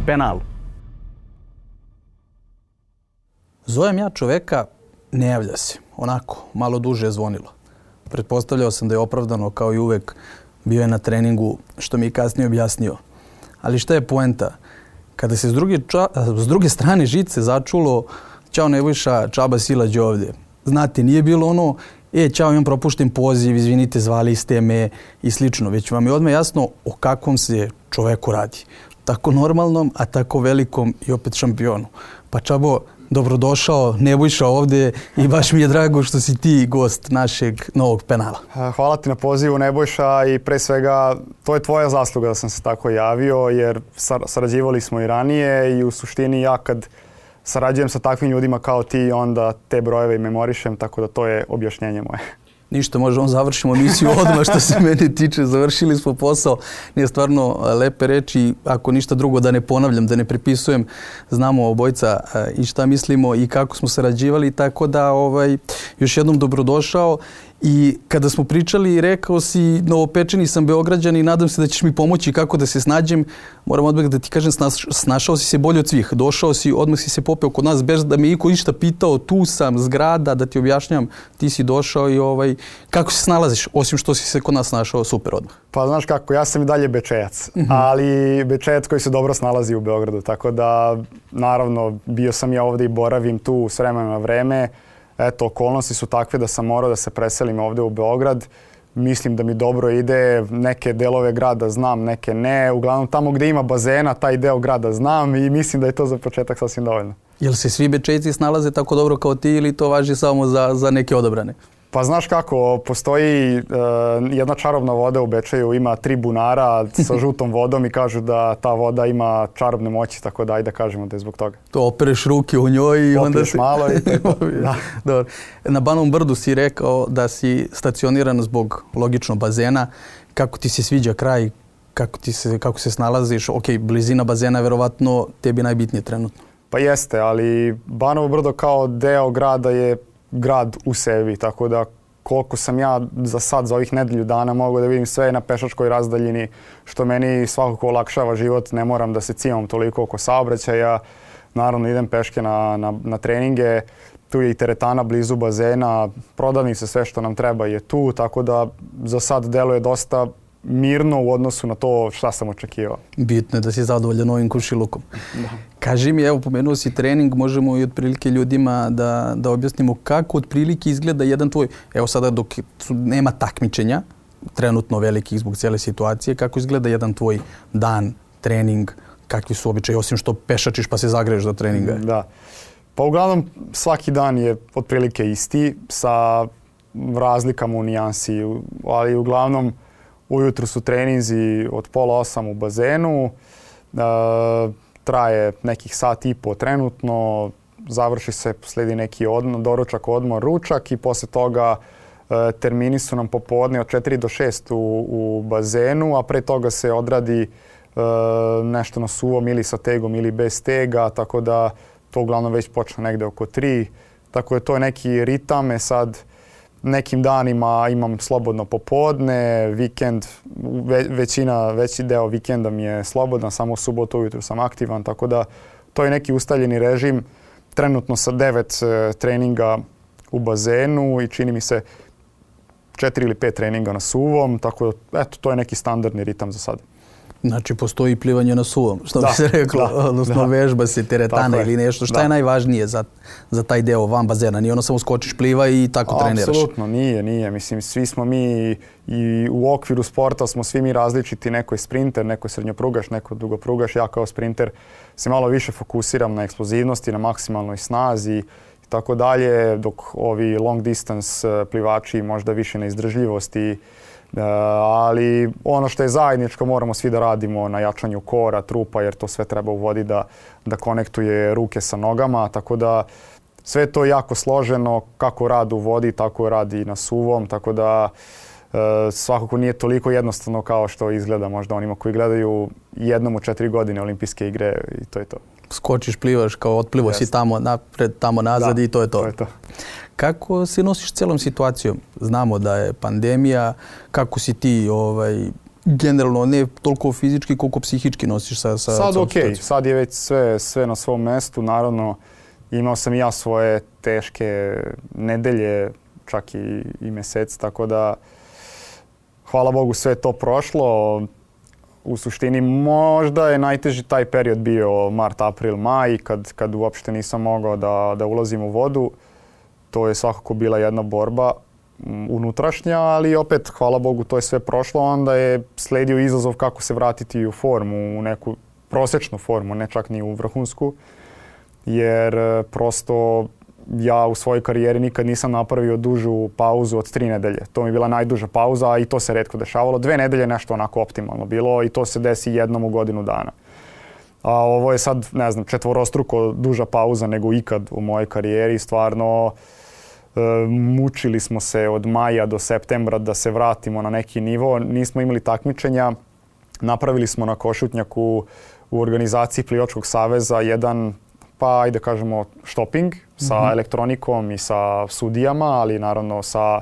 penalu. Zovem ja čoveka, ne javlja se. Onako, malo duže je zvonilo. Pretpostavljao sam da je opravdano, kao i uvek, bio je na treningu, što mi je kasnije objasnio. Ali šta je poenta? Kada se s druge strane žice začulo, ćao Nebojša, čaba silađe ovdje. Znate, nije bilo ono, ćao, imam propušten poziv, izvinite, zvali ste me i slično. Već vam je odmah jasno o kakvom se čoveku radi. Tako normalnom, a tako velikom i opet šampionu. Pa čabo, dobrodošao, Nebojša ovdje i baš mi je drago što si ti gost našeg novog penala. Hvala ti na pozivu, Nebojša, i pre svega to je tvoja zasluga da sam se tako javio, jer sarađivali smo i ranije i u suštini ja kad sarađujem sa takvim ljudima kao ti, onda te brojeve i memorišem, tako da to je objašnjenje moje. Ništa, možemo završimo emisiju odmah što se mene tiče. Završili smo posao. Nije stvarno lepe reči, ako ništa drugo da ne ponavljam, da ne prepisujem. Znamo obojca i šta mislimo i kako smo sarađivali, tako da još jednom dobrodošao. I kada smo pričali, rekao si, novopečeni sam Beograđan i nadam se da ćeš mi pomoći kako da se snađem. Moram odmah da ti kažem, snašao si se bolje od svih. Došao si, odmah si se popeo kod nas bez da me iko išta pitao, tu sam, zgrada, da ti objašnjam, ti si došao i kako se snalaziš, osim što si se kod nas snašao super odmah? Pa znaš kako, ja sam i dalje Bečejac, ali Bečejac koji se dobro snalazi u Beogradu, tako da naravno bio sam ja ovdje i boravim tu s vremena na vreme. Eto, okolnosti su takve da sam morao da se preselim ovdje u Beograd. Mislim da mi dobro ide, neke delove grada znam, neke ne. Uglavnom tamo gdje ima bazena, taj deo grada znam i mislim da je to za početak sasvim dovoljno. Jel se svi Bečejci snalaze tako dobro kao ti ili to važi samo za neke odabrane? Pa znaš kako, postoji jedna čarobna voda u Bečeju, ima 3 bunara sa žutom vodom i kažu da ta voda ima čarobne moći, tako da ajde da kažemo da je zbog toga. To opereš ruke u njoj i onda si... malo i to. Da. Dobro. Na Banovom brdu si rekao da si stacioniran zbog logično bazena. Kako ti se sviđa kraj? Kako se snalaziš? Ok, blizina bazena je verovatno tebi najbitnije trenutno. Pa jeste, ali Banovo brdo kao deo grada je grad u sebi, tako da koliko sam ja za ovih nedelju dana mogu da vidim sve na pešačkoj razdaljini, što meni svakako olakšava život, ne moram da se cimam toliko oko saobraćaja. Naravno idem peške na treninge, tu je i teretana blizu bazena, prodavnice, sve što nam treba je tu, tako da za sad deluje dosta mirno u odnosu na to šta sam očekivao. Bitno je da si zadovoljan ovim komšilukom. Da. Kaži mi, evo, pomenuo si trening, možemo i otprilike ljudima da objasnimo kako otprilike izgleda jedan tvoj, evo sada dok nema takmičenja, trenutno velikih zbog cijele situacije, kako izgleda jedan tvoj dan, trening, kakvi su običaji, osim što pešačiš pa se zagreješ do treninga? Da. Pa uglavnom svaki dan je otprilike isti, sa razlikama u nijansi, ali uglavnom ujutru su treninzi od 7:30 u bazenu, traje nekih sat i po trenutno, završi se, slijedi neki doručak, odmor, ručak i posle toga termini su nam popodne od 4 do 6 u bazenu, a pre toga se odradi nešto na suvom ili sa tegom ili bez tega, tako da to uglavnom već počne negde oko 3. Tako da to je neki ritam, sad nekim danima imam slobodno popodne, vikend, veći deo vikenda mi je slobodan, samo u subotu ujutru sam aktivan, tako da to je neki ustaljeni režim. Trenutno sa 9 treninga u bazenu i čini mi se 4 ili 5 treninga na suvom, tako da eto, to je neki standardni ritam za sad. Znači, postoji plivanje na suvom, što bi se reklo, odnosno vežba se, teretana ili nešto. Šta je najvažnije za taj deo van bazena? Nije ono samo skočiš, pliva i tako treniraš? Apsolutno, nije. Mislim, svi smo mi i u okviru sporta smo svi mi različiti. Neko je sprinter, neko je srednjoprugaš, neko dugoprugaš. Ja kao sprinter se malo više fokusiram na eksplozivnosti, na maksimalnoj snazi i tako dalje, dok ovi long distance plivači možda više na izdržljivosti. Ali ono što je zajedničko moramo svi da radimo na jačanju kora, trupa, jer to sve treba u vodi da konektuje ruke sa nogama, tako da sve to je jako složeno, kako rad u vodi, tako radi i na suvom, tako da svakako nije toliko jednostavno kao što izgleda možda onima koji gledaju jednom u 4 godine olimpijske igre i to je to. Skočiš, plivaš, kao otplivo si tamo napred, tamo nazad i to je to. To je to. Kako se nosiš celom situacijom? Znamo da je pandemija, kako si ti generalno ne toliko fizički koliko psihički nosiš sa sad okej, sad je već sve na svom mestu. Naravno, imao sam i ja svoje teške nedelje, čak i mjeseci, tako da hvala Bogu sve to prošlo. U suštini možda je najteži taj period bio mart, april, maj, kad uopšte nisam mogao da ulazim u vodu. To je svakako bila jedna borba unutrašnja, ali opet, hvala Bogu, to je sve prošlo. Onda je sledio izazov kako se vratiti u formu, u neku prosječnu formu, ne čak ni u vrhunsku. Jer prosto ja u svojoj karijeri nikad nisam napravio dužu pauzu od 3 nedelje. To mi je bila najduža pauza, a i to se retko dešavalo. 2 nedelje nešto onako optimalno bilo i to se desi jednom u godinu dana. A ovo je sad, ne znam, 4-struko duža pauza nego ikad u mojoj karijeri. Stvarno, mučili smo se od maja do septembra da se vratimo na neki nivo. Nismo imali takmičenja. Napravili smo na Košutnjaku u organizaciji Plivačkog saveza jedan, pa ajde kažemo, shopping sa elektronikom i sa sudijama, ali naravno sa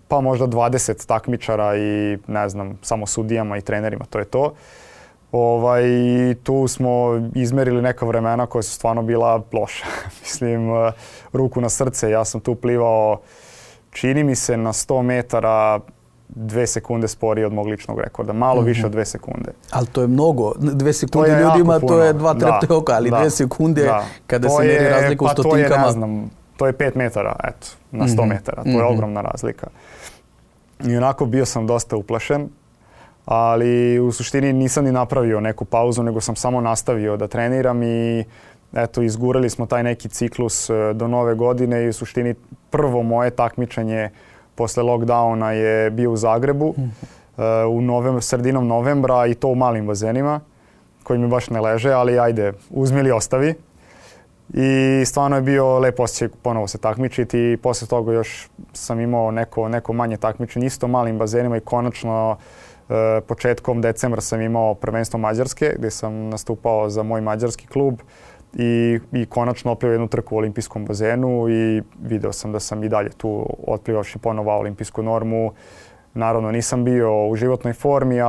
pa možda 20 takmičara i ne znam, samo sudijama i trenerima, to je to. Tu smo izmerili neka vremena koja su stvarno bila loša. Mislim, ruku na srce, ja sam tu plivao, čini mi se, na 100 metara 2 sekunde sporije od mog ličnog rekorda. Malo više od 2 sekunde. Ali to je mnogo. 2 sekunde ljudima, to je 2 trepte oka, ali 2 sekunde kada se meri razlika u stotinkama. To je, ne znam, to je 5 metara, eto, na 100 metara. To je ogromna razlika. I onako bio sam dosta uplašen, ali u suštini nisam ni napravio neku pauzu, nego sam samo nastavio da treniram i eto, izgurali smo taj neki ciklus do nove godine i u suštini prvo moje takmičenje posle lockdowna je bio u Zagrebu sredinom novembra i to u malim bazenima koji mi baš ne leže, ali ajde, uzmi ili ostavi. I stvarno je bio lep osjećaj ponovo se takmičiti i posle toga još sam imao neko manje takmičenje isto malim bazenima i konačno početkom decembra sam imao prvenstvo Mađarske gdje sam nastupao za moj mađarski klub i konačno oplivao jednu trku u olimpijskom bazenu i video sam da sam i dalje tu otplivavši ponovo olimpijsku normu. Naravno nisam bio u životnoj formi,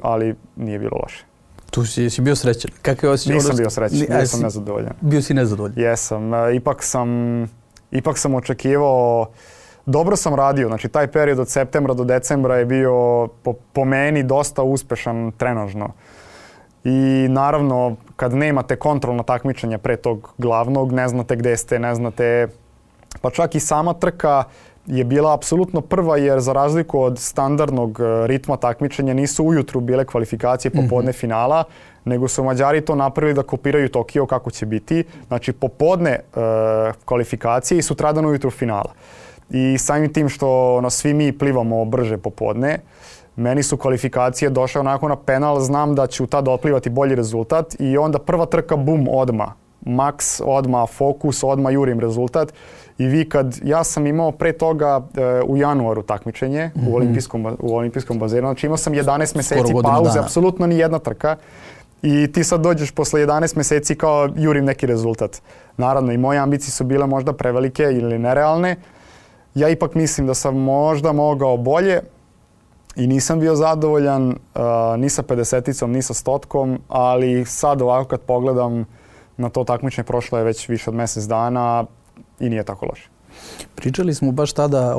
ali nije bilo loše. Tu si bio srećan. Kako je osjećaj? Nisam bio srećan, bio sam nezadovoljan. Bio si nezadovoljan? Jesam. Ipak sam očekivao, dobro sam radio, znači taj period od septembra do decembra je bio po meni dosta uspešan trenažno. I naravno, kad nemate kontrolna takmičenja pre tog glavnog, ne znate gde ste, ne znate, pa čak i sama trka je bila apsolutno prva jer za razliku od standardnog ritma takmičenja nisu ujutru bile kvalifikacije popodne finala, nego su Mađari to napravili da kopiraju Tokio kako će biti. Znači popodne kvalifikacije i sutradan ujutru finala. I samim tim što svi mi plivamo brže popodne, meni su kvalifikacije došle onako na penal, znam da ću tada otplivati bolji rezultat i onda prva trka, bum, odma. Maks, odma, fokus, odma jurim rezultat. I vi ja sam imao pre toga u januaru takmičenje u olimpijskom bazenu, znači imao sam 11 mjeseci pauze, apsolutno ni jedna trka. I ti sad dođeš posle 11 mjeseci kao jurim neki rezultat. Naravno i moje ambicije su bile možda prevelike ili nerealne. Ja ipak mislim da sam možda mogao bolje i nisam bio zadovoljan ni sa 50-icom, ni sa 100-tkom, ali sad ovako kad pogledam na to takmičenje, prošlo je već više od mjesec dana i nije tako loše. Pričali smo baš tada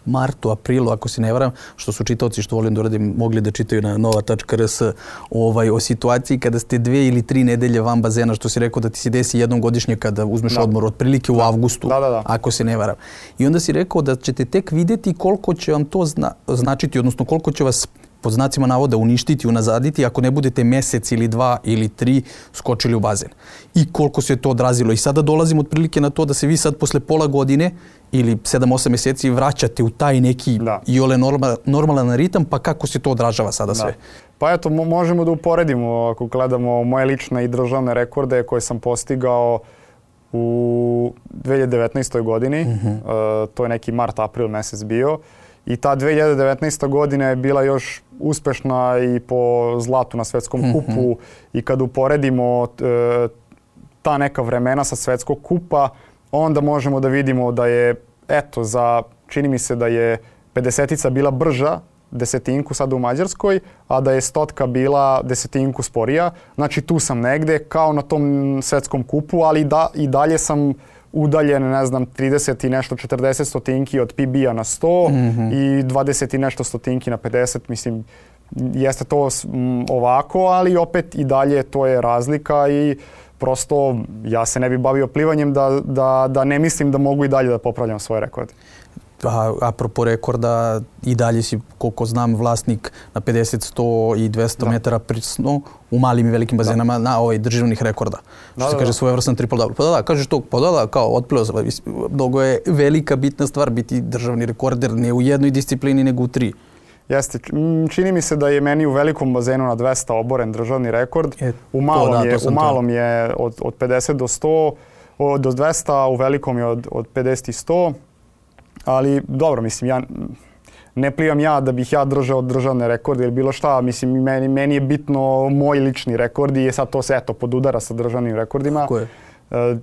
martu, aprilu, ako se ne varam, što su čitaoci, što volim da uradim, mogli da čitaju na nova.rs o situaciji kada ste 2 ili 3 nedelje van bazena, što si rekao da ti se desi jednom godišnje kada uzmeš odmor, otprilike u avgustu, ako se ne varam. I onda si rekao da ćete tek vidjeti koliko će vam to značiti, odnosno koliko će vas pod znacima navoda uništiti, unazaditi ako ne budete mjesec ili 2 ili 3 skočili u bazen. I koliko se to odrazilo. I sada dolazimo otprilike na to da se vi sad posle pola godine ili 7-8 mjeseci vraćate u taj neki iole normalan ritam, pa kako se to odražava sada sve? Pa eto, možemo da uporedimo ako gledamo moje lične i državne rekorde koje sam postigao u 2019. godini. To je neki mart, april mjesec bio. I ta 2019. godina je bila još uspešna i po zlatu na svetskom kupu i kad uporedimo ta neka vremena sa svetskog kupa, onda možemo da vidimo da je, čini mi se da je 50-ica bila brža desetinku sad u Mađarskoj, a da je stotka bila desetinku sporija. Znači tu sam negde kao na tom svetskom kupu, ali i dalje sam udaljen, ne znam, 30 i nešto 40 stotinki od PB-a na 100 i 20 i nešto stotinki na 50. Mislim, jeste to ovako, ali opet i dalje to je razlika i prosto ja se ne bi bavio plivanjem da ne mislim da mogu i dalje da popravljam svoje rekorde. Apropo rekorda, i dalje si, koliko znam, vlasnik na 50, 100 i 200 metara prisno u malim i velikim bazenama na državnih rekorda. Što se kaže svojevrstan triple double. Pa da, kažeš to, kao otplio se. Mnogo je velika bitna stvar biti državni rekorder ne u jednoj disciplini nego u 3. Jeste. Čini mi se da je meni u velikom bazenu na 200 oboren državni rekord. U malom je od 50 do 100, do 200, a u velikom je od 50 i 100. Ali dobro, mislim, ne plivam ja da bih ja držao državne rekorde ili bilo šta. Mislim, meni je bitno moj lični rekord i sad to se podudara sa državnim rekordima. Tako je.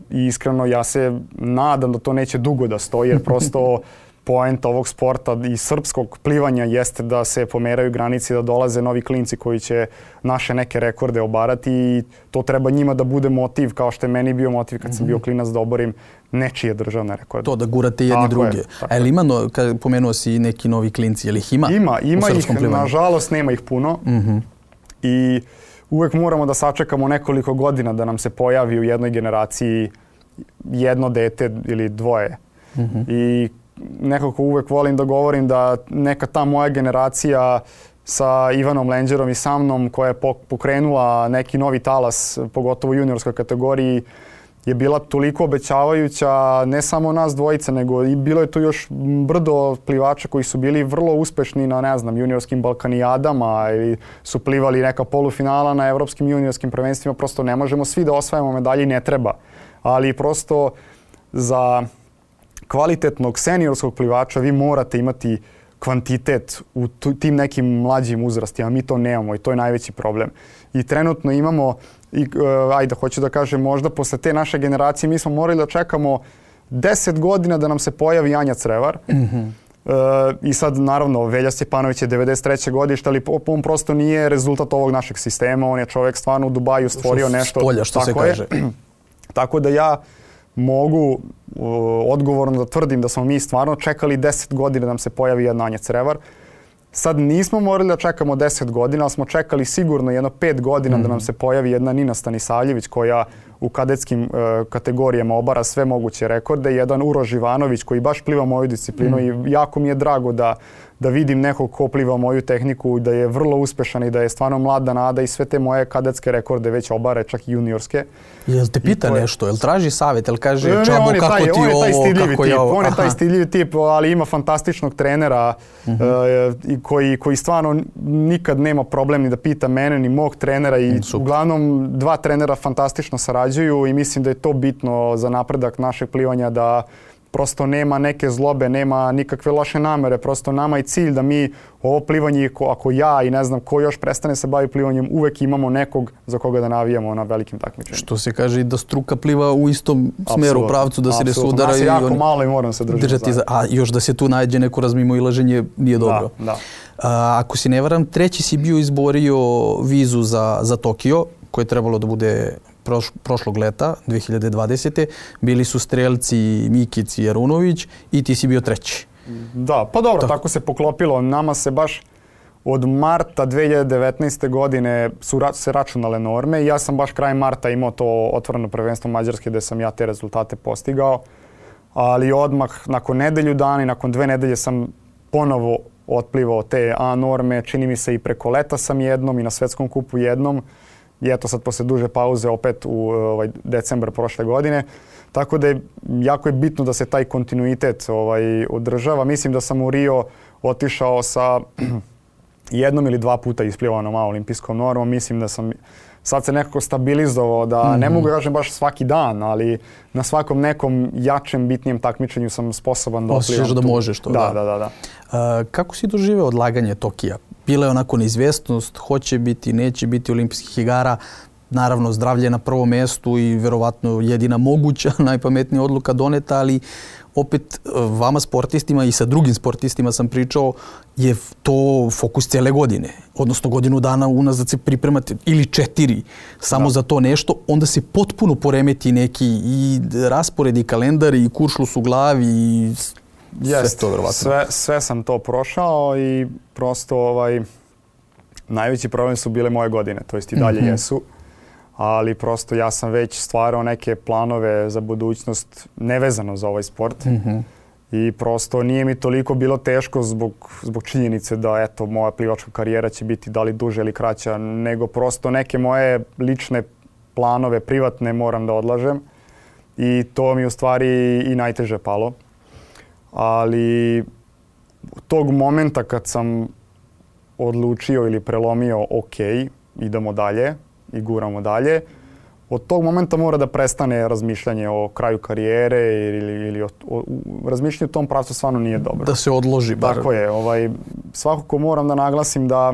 I iskreno ja se nadam da to neće dugo da stoji, jer prosto poenta ovog sporta i srpskog plivanja jeste da se pomeraju granici, da dolaze novi klinci koji će naše neke rekorde obarati i to treba njima da bude motiv, kao što je meni bio motiv kad sam bio klinac da oborim nečije državne rekorde. To da gurate jedni druge. Ali ima, kad pomenuo si neki novi klinci, je li ih ima? Ima ih, nažalost nema ih puno. I uvek moramo da sačekamo nekoliko godina da nam se pojavi u jednoj generaciji jedno dete ili dvoje. I nekako uvek volim da govorim da neka ta moja generacija sa Ivanom Lenđerom i sa mnom koja je pokrenula neki novi talas, pogotovo u juniorskoj kategoriji, je bila toliko obećavajuća, ne samo nas dvojica, nego i bilo je tu još brdo plivača koji su bili vrlo uspešni na, ne znam, juniorskim balkanijadama ili su plivali neka polufinala na evropskim juniorskim prvenstvima. Prosto ne možemo svi da osvajamo medalje i ne treba. Ali prosto za kvalitetnog seniorskog plivača vi morate imati kvantitet u tim nekim mlađim uzrastima. Mi to nemamo i to je najveći problem. I trenutno imamo, hoću da kažem, možda posle te naše generacije mi smo morali da čekamo 10 godina da nam se pojavi Anja Crevar. I sad, naravno, Velja Stjepanović je 93. godište, ali on prosto nije rezultat ovog našeg sistema. On je čovjek stvarno u Dubaju stvorio nešto. Spolja, što se kaže. Tako da ja mogu odgovorno da tvrdim da smo mi stvarno čekali 10 godina da nam se pojavi jedna Anja Crevar. Sad nismo morali da čekamo 10 godina, ali smo čekali sigurno jedno 5 godina da nam se pojavi jedna Nina Stanisavljević koja u kadetskim kategorijama obara sve moguće rekorde. Jedan Uroš Ivanović koji baš pliva moju disciplinu i jako mi je drago da vidim nekog ko pliva moju tehniku, da je vrlo uspešan i da je stvarno mlada nada i sve te moje kadetske rekorde već obare, čak i juniorske. Jel te pita nešto? Jel traži savjet? Jel kaže Čabo kako ti ovo, kako je ovo? On je taj stidljivi tip, ali ima fantastičnog trenera koji stvarno nikad nema problem ni da pita mene ni mog trenera i uglavnom dva trenera fantastično sarađuju i mislim da je to bitno za napredak našeg plivanja, da prosto nema neke zlobe, nema nikakve loše namere, prosto nama je cilj da mi ovo plivanje, ako ja i ne znam ko još prestane se bavi plivanjem, uvek imamo nekog za koga da navijamo na velikim takmičenjima. Što se kaže i da struka pliva u istom smeru, pravcu, da se ne sudara. Nas je jako malo i moram se držati. A još da se tu nađe neko razmimoilaženje nije dobro. Da. Ako se ne varam, treći si bio izborio vizu za Tokio, koje je trebalo da bude prošlog leta, 2020. Bili su strelci Mikic i Arunović i ti si bio treći. Da, pa dobro, tako se poklopilo. Nama se baš od marta 2019. godine su se računale norme i ja sam baš krajem marta imao to otvoreno prvenstvo Mađarske gde sam ja te rezultate postigao. Ali odmah nakon nedelju dana i nakon 2 nedelje sam ponovo otplivao te A norme. Čini mi se i preko leta sam jednom i na svetskom kupu jednom. I eto sad posle duže pauze opet u decembar prošle godine. Tako da je jako je bitno da se taj kontinuitet održava. Mislim da sam u Rio otišao sa jednom ili 2 puta isplivanom A olimpijskom normom. Mislim da sam sad se nekako stabilizovao, da ne mogu kažem baš svaki dan, ali na svakom nekom jačem, bitnijem takmičenju sam sposoban da oplivam. Osjećaš da možeš to. Da. Kako si doživeo odlaganje Tokija? Bila je onako neizvestnost, hoće biti, neće biti olimpijskih igara. naravno zdravlje na prvom mjestu i vjerovatno jedina moguća, najpametnija odluka doneta, ali opet vama sportistima i sa drugim sportistima sam pričao, je to fokus cijele godine. Odnosno godinu dana unazad se pripremate ili 4 samo za to nešto, onda se potpuno poremeti neki i raspored i kalendar i kuršlus u glavi i sve to vjerovatno. Sve sam to prošao i prosto najveći problem su bile moje godine, to jest i dalje jesu. Ali prosto ja sam već stvarao neke planove za budućnost nevezano za ovaj sport. I prosto nije mi toliko bilo teško zbog činjenice da eto, moja plivačka karijera će biti da li duže ili kraća, nego prosto neke moje lične planove, privatne, moram da odlažem. I to mi u stvari i najteže palo. Ali tog momenta kad sam odlučio ili prelomio ok, idemo dalje i guramo dalje, od tog momenta mora da prestane razmišljanje o kraju karijere ili razmišljanje u tom pravcu stvarno nije dobro. Da se odloži bar. Tako je. Svakako moram da naglasim da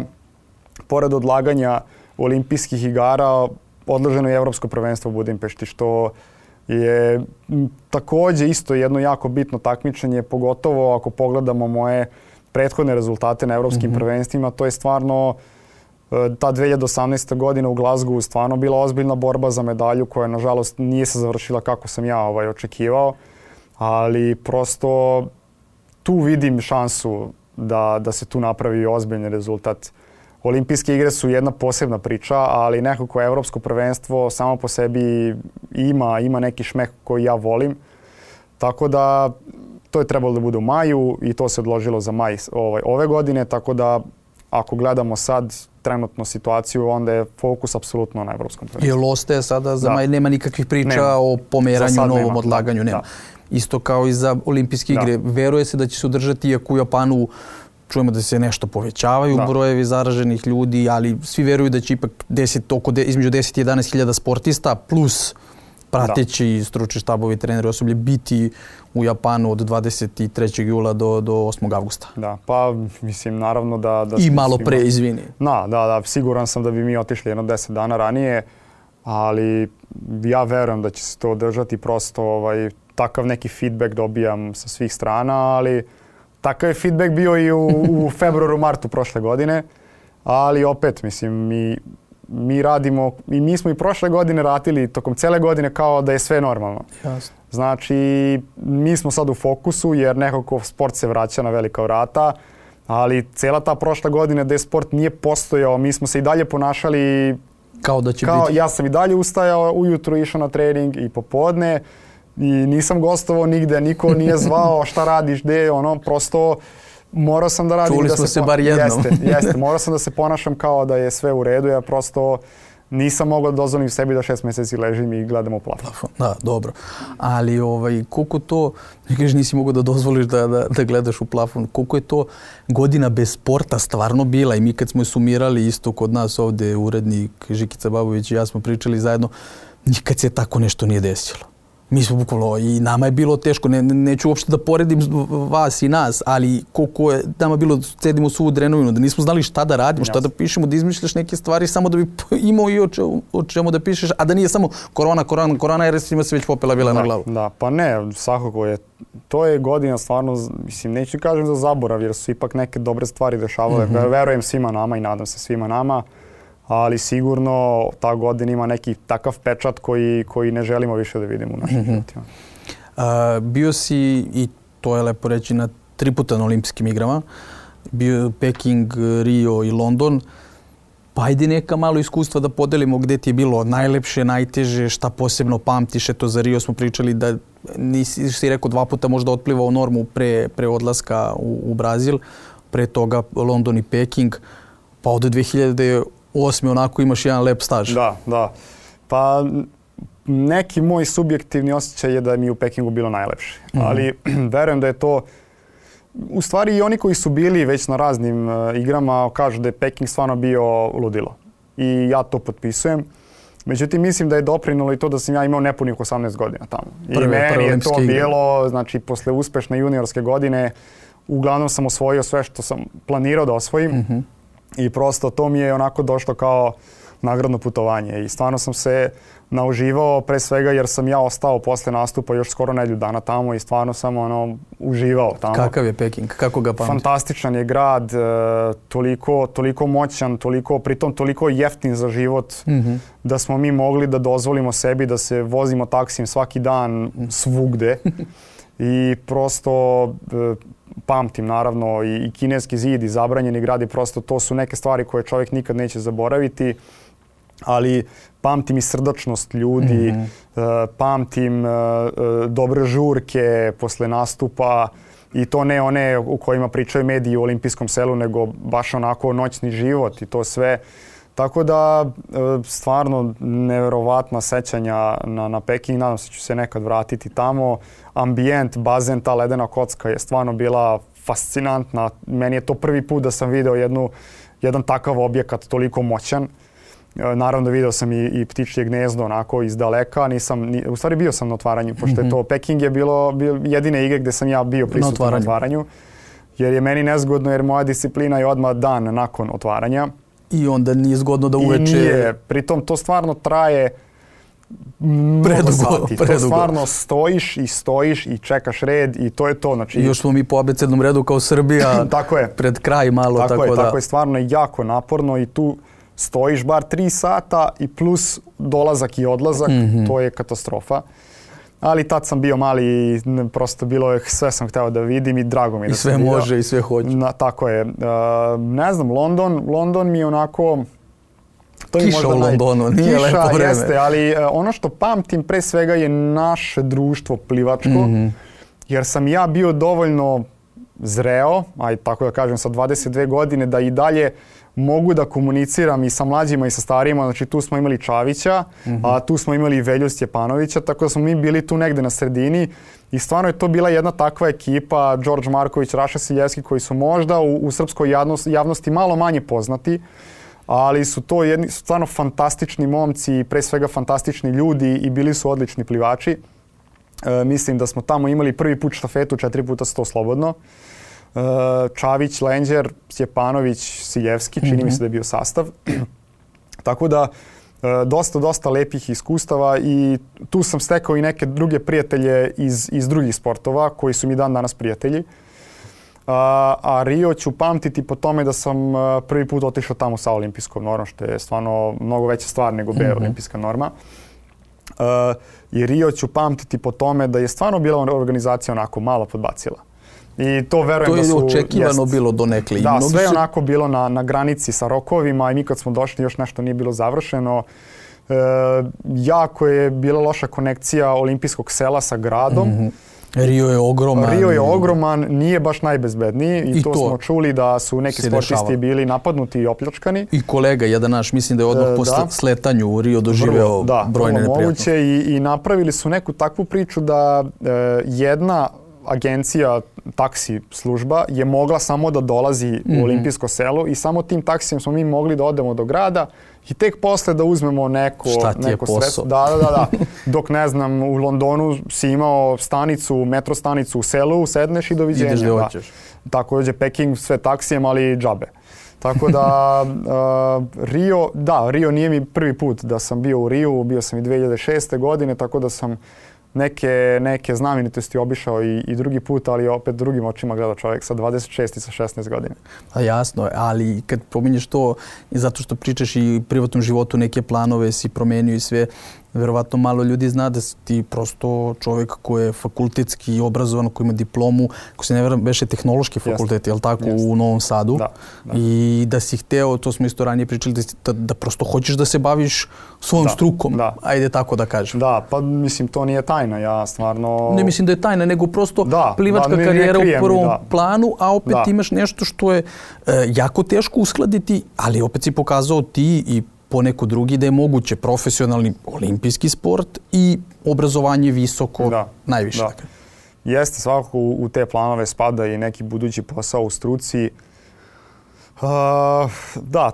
pored odlaganja olimpijskih igara odloženo je Evropsko prvenstvo u Budimpešti, što je također isto jedno jako bitno takmičenje, pogotovo ako pogledamo moje prethodne rezultate na evropskim prvenstvima. To je stvarno ta 2018. godina u Glasgowu stvarno bila ozbiljna borba za medalju koja nažalost nije se završila kako sam ja očekivao, ali prosto tu vidim šansu da se tu napravi ozbiljni rezultat. Olimpijske igre su jedna posebna priča, ali nekako evropsko prvenstvo samo po sebi ima neki šmeh koji ja volim. Tako da to je trebalo da bude u maju i to se odložilo za maj ove godine, tako da ako gledamo sad trenutnu situaciju, onda je fokus apsolutno na evropskom prvenstvu. Jel ostaje sada za maj? Nema nikakvih priča o pomeranju, novom odlaganju? Nema. Isto kao i za olimpijske igre. Veruje se da će se održati, iako u Japanu čujemo da se nešto povećavaju brojevi zaraženih ljudi, ali svi veruju da će ipak između 10 i 11 hiljada sportista plus prateći stručni štabovi, treneri, osoblje biti u Japanu od 23. jula do 8. avgusta. Da, pa mislim naravno da i malo pre, izvini. Da, siguran sam da bi mi otišli jedno 10 dana ranije, ali ja verujem da će se to održati, prosto takav neki feedback dobijam sa svih strana, ali takav je feedback bio i u februaru, martu prošle godine, ali opet mislim mi radimo i mi smo i prošle godine radili tokom cele godine kao da je sve normalno. Jasno. Znači, mi smo sad u fokusu jer nekako sport se vraća na velika vrata, ali cela ta prošla godina gde sport nije postojao, mi smo se i dalje ponašali kao da će biti. Ja sam i dalje ustajao, ujutru išao na trening i popodne i nisam gostovao nigde, niko nije zvao šta radiš, gde, prosto morao sam da radim. Čuli smo se bar jednom. Jeste, morao sam da se ponašam kao da je sve u redu, ja prosto nisam mogao da dozvolim sebi da 6 mjeseci ležim i gledam u plafon. Da, dobro. Ali koliko to, ne kažeš nisi mogao da dozvoliš da gledaš u plafon, koliko je to godina bez sporta stvarno bila i mi kad smo je sumirali isto kod nas ovdje urednik Žikica Babović i ja smo pričali zajedno, nikad se tako nešto nije desilo. Mi smo bukvalno, i nama je bilo teško, neću uopšte da poredim vas i nas, ali koliko je nama bilo, sedimo suvu drenovinu, da nismo znali šta da radimo, šta da pišemo, da izmišljaš neke stvari samo da bi imao i o čemu da pišeš, a da nije samo korona, jer svima se već popela bila na glavu. Da, pa ne, svakako je, to je godina stvarno, mislim, neću kažem za zaborav, jer su ipak neke dobre stvari dešavale, verujem svima nama i nadam se svima nama, ali sigurno ta godina ima neki takav pečat koji ne želimo više da vidimo u našim životima. Bio si, i to je lepo reći, na 3 puta na olimpijskim igrama. Bio je Peking, Rio i London. Pa ajde neka malo iskustva da podelimo gde ti je bilo najlepše, najteže, šta posebno pamtiš. Eto, za Rio smo pričali da nisi rekao 2 puta možda otplivao normu pre odlaska u Brazil. Pre toga London i Peking. Pa od 2008. onako imaš jedan lep staž. Da. Pa neki moj subjektivni osjećaj je da mi u Pekingu bilo najlepše. Ali verujem da je to, u stvari i oni koji su bili već na raznim igrama kažu da je Peking stvarno bio ludilo. I ja to potpisujem. Međutim, mislim da je doprinalo i to da sam ja imao nepunih 18 godina tamo. I meni je to bilo, znači, posle uspešne juniorske godine, uglavnom sam osvojio sve što sam planirao da osvojim. I prosto to mi je onako došlo kao nagradno putovanje i stvarno sam se nauživao pre svega jer sam ja ostao posle nastupa još skoro nedelju dana tamo i stvarno sam uživao tamo. Kakav je Peking? Kako ga pamtiš? Fantastičan je grad, toliko moćan, pritom toliko jeftin za život da smo mi mogli da dozvolimo sebi da se vozimo taksijem svaki dan svugde i prosto pamtim naravno i Kineski zid i Zabranjeni grad i prosto to su neke stvari koje čovjek nikad neće zaboraviti. Ali pamtim i srdačnost ljudi, pamtim dobre žurke posle nastupa i to ne one u kojima pričaju mediji u olimpijskom selu, nego baš onako noćni život i to sve. Tako da stvarno neverovatna sećanja na Peking, nadam se ću se nekad vratiti tamo. Ambijent, bazen, ta ledena kocka je stvarno bila fascinantna. Meni je to prvi put da sam video jedan takav objekat toliko moćan. Naravno video sam i ptičje gnezdo onako iz daleka, u stvari bio sam na otvaranju, pošto je to Peking je bilo jedine igre gdje sam ja bio prisutan na otvaranju, jer je meni nezgodno jer moja disciplina je odmah dan nakon otvaranja. I onda nije zgodno da uveče... I nije, pritom to stvarno traje mnogo sati. To stvarno stojiš i čekaš red i to je to. Znači, I još smo mi po abecednom redu kao Srbija tako je. Pred kraj malo. Tako je, stvarno jako naporno i tu stojiš bar 3 sata i plus dolazak i odlazak, to je katastrofa. Ali tad sam bio mali i prosto bilo je, sve sam hteo da vidim i drago mi je da sam vidio. I sve može i sve hoće. Tako je. Ne znam, London mi je onako... Kiša u Londonu, nije lepo vreme. Kiša jeste, ali ono što pamtim pre svega je naše društvo plivačko, jer sam ja bio dovoljno zreo, tako da kažem sa 22 godine, da i dalje mogu da komuniciram i sa mlađima i sa starijima. Znači tu smo imali Čavića, a tu smo imali i Velju Stjepanovića, tako da smo mi bili tu negde na sredini i stvarno je to bila jedna takva ekipa, Đorđe Marković, Raša Siljevski, koji su možda u srpskoj javnosti malo manje poznati, ali su to stvarno fantastični momci i pre svega fantastični ljudi i bili su odlični plivači. Mislim da smo tamo imali prvi put štafetu 4x100 slobodno. Čavić, Lenđer, Stjepanović, Siljevski, čini mi se da je bio sastav. Tako da dosta lepih iskustava i tu sam stekao i neke druge prijatelje iz drugih sportova koji su mi dan danas prijatelji. A Rio ću pamtiti po tome da sam prvi put otišao tamo sa olimpijskom normom, što je stvarno mnogo veća stvar nego B olimpijska norma. I Rio ću pamtiti po tome da je stvarno bila organizacija onako malo podbacila. I to verujem da su... To je očekivano bilo donekle. Da, sve je onako bilo na granici sa rokovima i mi kad smo došli još nešto nije bilo završeno. Jako je bila loša konekcija olimpijskog sela sa gradom. Rio je ogroman. Nije baš najbezbedniji i to smo čuli da su neki sportisti bili napadnuti i opljačkani. I kolega, jedan naš, mislim da je odmah po sletanju u Rio doživeo brojne neprijatnosti. I napravili su neku takvu priču da jedna agencija, taksi služba je mogla samo da dolazi u olimpijsko selo i samo tim taksijem smo mi mogli da odemo do grada i tek posle da uzmemo neko sredstvo. Da. Dok ne znam, u Londonu si imao metro stanicu u selu, sedneš i doviđenja. Ideš da hoćeš. Također Peking sve taksijem, ali džabe. Tako da Rio nije mi prvi put da sam bio u Riju, bio sam i 2006. godine, tako da sam neke znamenitosti obišao i drugi put, ali opet drugim očima gleda čovjek sa 26 i sa 16 godina. A jasno, ali kad pominješ to, zato što pričaš i u privatnom životu neke planove si promenio i sve, verovatno malo ljudi zna da si ti prosto čovjek koji je fakultetski obrazovan, koji ima diplomu, ko se ne verujem, beše tehnološki fakultet, je li tako, u Novom Sadu. Da. I da si hteo, to smo isto ranije pričali, da prosto hoćeš da se baviš svojom strukom. Ajde tako da kažem. Da, pa mislim to nije tajna, ja stvarno... Ne mislim da je tajna, nego prosto plivačka karijera u prvom planu, a opet imaš nešto što je jako teško uskladiti, ali opet si pokazao ti i poneko drugi da je moguće profesionalni olimpijski sport i obrazovanje visoko najviše. Jeste, svakako u te planove spada i neki budući posao u struci.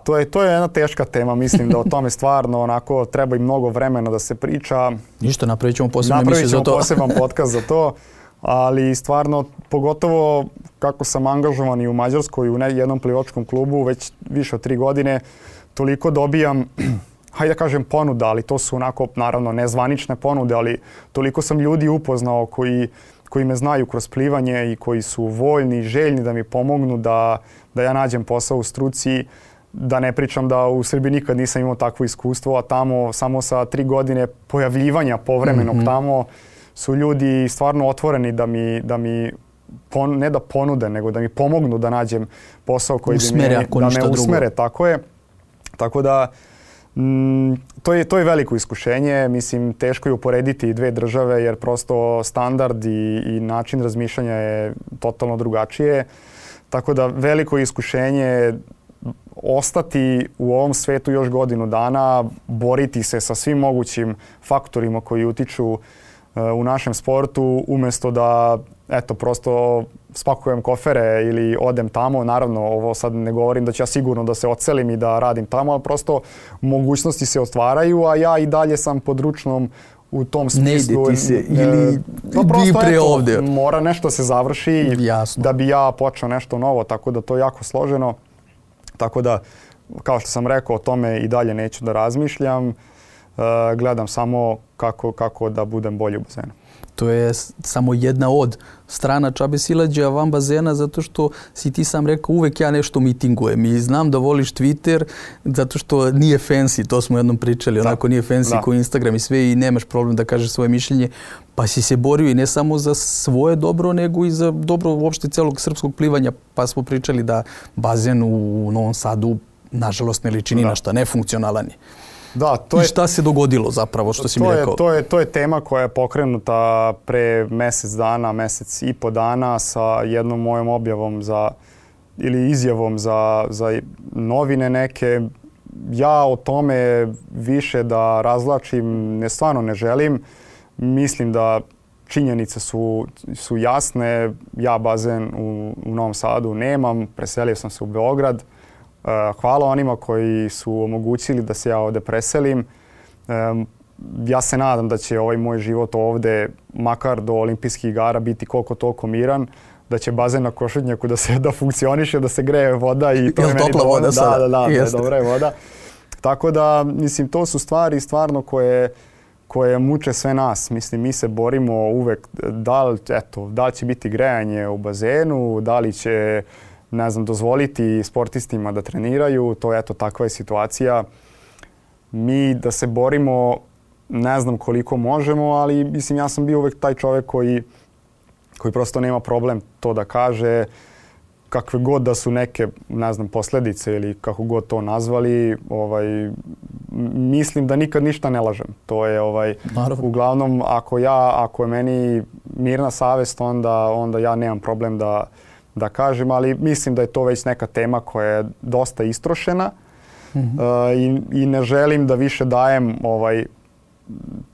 To je jedna teška tema, mislim da o tome stvarno onako treba i mnogo vremena da se priča. Ništa, napravit ćemo posebnu emisiju za to. Napravit ćemo poseban podcast za to, ali stvarno, pogotovo kako sam angažovan i u Mađarskoj u jednom plivačkom klubu već više od 3 godine, toliko dobijam hajde da kažem ponuda, ali to su onako naravno nezvanične ponude, ali toliko sam ljudi upoznao koji me znaju kroz plivanje i koji su voljni, željni da mi pomognu da ja nađem posao u struci. Da ne pričam da u Srbiji nikad nisam imao takvo iskustvo, a tamo samo sa 3 godine pojavljivanja povremenog tamo su ljudi stvarno otvoreni da mi ne da ponude, nego da mi pomognu da nađem posao koji da me usmere. Tako je. Tako da to je veliko iskušenje. Mislim, teško je uporediti dve države jer prosto standard i način razmišljanja je totalno drugačije. Tako da veliko iskušenje ostati u ovom svetu još godinu dana, boriti se sa svim mogućim faktorima koji utiču u našem sportu, umjesto da prosto spakujem kofere ili odem tamo. Naravno, ovo sad ne govorim da ću ja sigurno da se odselim i da radim tamo, ali prosto mogućnosti se otvaraju, a ja i dalje sam pod ručnom u tom smislu. Ne ide ti se ili pre ovdje. Mora nešto se završi da bi ja počeo nešto novo, tako da to je jako složeno. Tako da, kao što sam rekao, o tome i dalje neću da razmišljam. Gledam samo kako da budem bolji u bazenu. To je samo jedna od strana džabe silađa van bazena, zato što si ti sam rekao uvek ja nešto mitingujem i znam da voliš Twitter zato što nije fancy, to smo jednom pričali, onako nije fancy kao Instagram i sve i nemaš problem da kažeš svoje mišljenje, pa si se borio i ne samo za svoje dobro, nego i za dobro uopšte celog srpskog plivanja, pa smo pričali da bazen u Novom Sadu nažalost ne liči ni na šta, nefunkcionalan je. I šta se dogodilo zapravo, što si mi rekao? To je tema koja je pokrenuta pre mesec i po dana sa jednom mojom objavom ili izjavom za novine neke. Ja o tome više da razvlačim stvarno ne želim. Mislim da činjenice su jasne. Ja bazen u Novom Sadu nemam, preselio sam se u Beograd. Hvala onima koji su omogućili da se ja ovdje preselim. Ja se nadam da će ovaj moj život ovdje, makar do olimpijskih igara, biti koliko toliko miran, da će bazen na Košutnjaku da funkcioniše, da se greje voda i to je meni topla voda sada. Da, dobra je voda. Tako da, mislim, to su stvari stvarno koje muče sve nas. Mislim, mi se borimo uvek da li će biti grejanje u bazenu, da li će dozvoliti sportistima da treniraju, takva je situacija. Mi da se borimo, ne znam koliko možemo, ali mislim ja sam bio uvek taj čovjek koji prosto nema problem to da kaže, kakve god da su neke, posljedice ili kako god to nazvali, mislim da nikad ništa ne lažem. To je uglavnom ako je meni mirna savest, onda ja nemam problem da kažem, ali mislim da je to već neka tema koja je dosta istrošena i ne želim da više dajem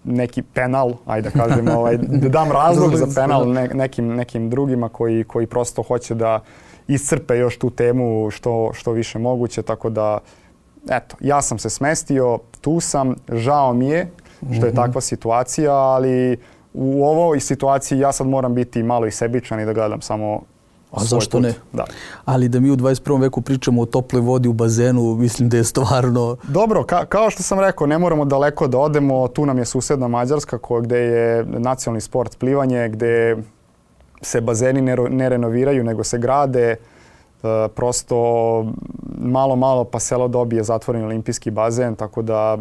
neki penal, ajde da kažem, da dam razlog za penal nekim drugima koji prosto hoće da iscrpe još tu temu što više moguće, tako da ja sam se smestio, tu sam, žao mi je što je takva situacija, ali u ovoj situaciji ja sad moram biti malo i sebičan i da gledam samo a zašto ne? Da. Ali da mi u 21. veku pričamo o toploj vodi u bazenu, mislim da je stvarno... Dobro, kao što sam rekao, ne moramo daleko da odemo. Tu nam je susedna Mađarska gdje je nacionalni sport plivanje, gdje se bazeni ne renoviraju nego se grade. Prosto malo pa selo dobije zatvoreni olimpijski bazen, tako da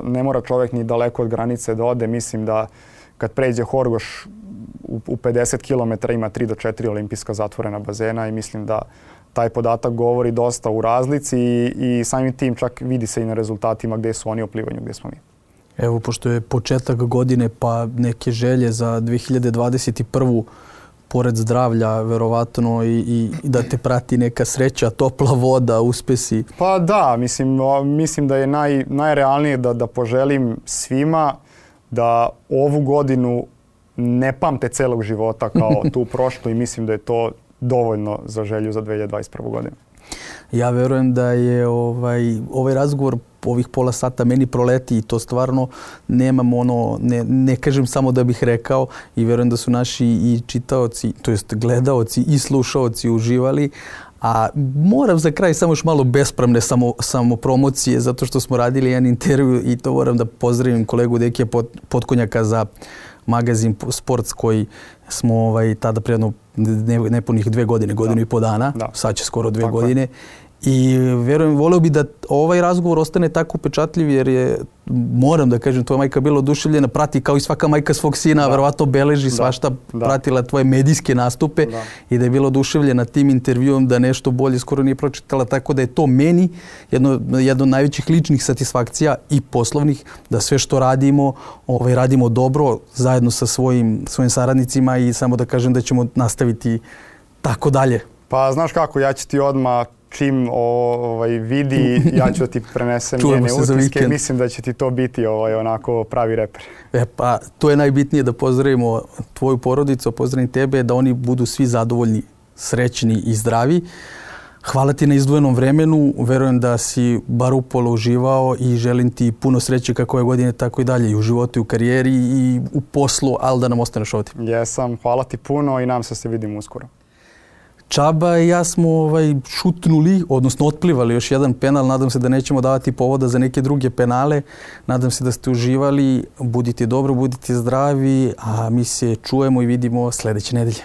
ne mora čovjek ni daleko od granice da ode. Mislim da kad pređe Horgoš u 50 km ima 3 do 4 olimpijska zatvorena bazena i mislim da taj podatak govori dosta u razlici i samim tim čak vidi se i na rezultatima gdje su oni u plivanju, gdje smo mi. Evo, pošto je početak godine pa neke želje za 2021. pored zdravlja, verovatno i da te prati neka sreća, topla voda, uspesi. Pa da, mislim da je najrealnije da poželim svima da ovu godinu ne pamte celog života kao tu prošlu i mislim da je to dovoljno za želju za 2021. godinu. Ja verujem da je ovaj razgovor ovih pola sata meni proleti i to stvarno nemam ne kažem samo da bih rekao i verujem da su naši i čitaoci, to jest gledaoci i slušaoci uživali, A moram za kraj samo još malo bespravne samopromocije, zato što smo radili jedan intervju i to moram da pozdravim kolegu Dekija Potkonjaka za magazin Sports koji smo tada predno nepunih 2 godine, godinu i po dana, sad će skoro 2 godine. I verujem, voleo bi da ovaj razgovor ostane tako upečatljiv jer je, moram da kažem, tvoja majka bila oduševljena, prati kao i svaka majka svog sina, verovatno beleži svašta, pratila tvoje medijske nastupe i da je bila oduševljena tim intervjuom, da nešto bolje skoro nije pročitala, tako da je to meni jedno od najvećih ličnih satisfakcija i poslovnih, da sve što radimo, radimo dobro zajedno sa svojim saradnicima i samo da kažem da ćemo nastaviti tako dalje. Pa znaš kako, ja ću ti odmah čim vidi, ja ću da ti prenesem njene utiske. Mislim da će ti to biti onako pravi reper. Pa to je najbitnije, da pozdravimo tvoju porodicu, pozdravim tebe, da oni budu svi zadovoljni, srećni i zdravi. Hvala ti na izdvojenom vremenu, verujem da si bar upola uživao i želim ti puno sreće kako ove godine, tako i dalje, i u životu, i u karijeri, i u poslu, ali da nam ostaneš ovdje. Jesam, hvala ti puno i nam se vidimo uskoro. Čaba i ja smo šutnuli, odnosno otplivali još jedan penal. Nadam se da nećemo davati povoda za neke druge penale. Nadam se da ste uživali. Budite dobro, budite zdravi, a mi se čujemo i vidimo sljedeće nedelje.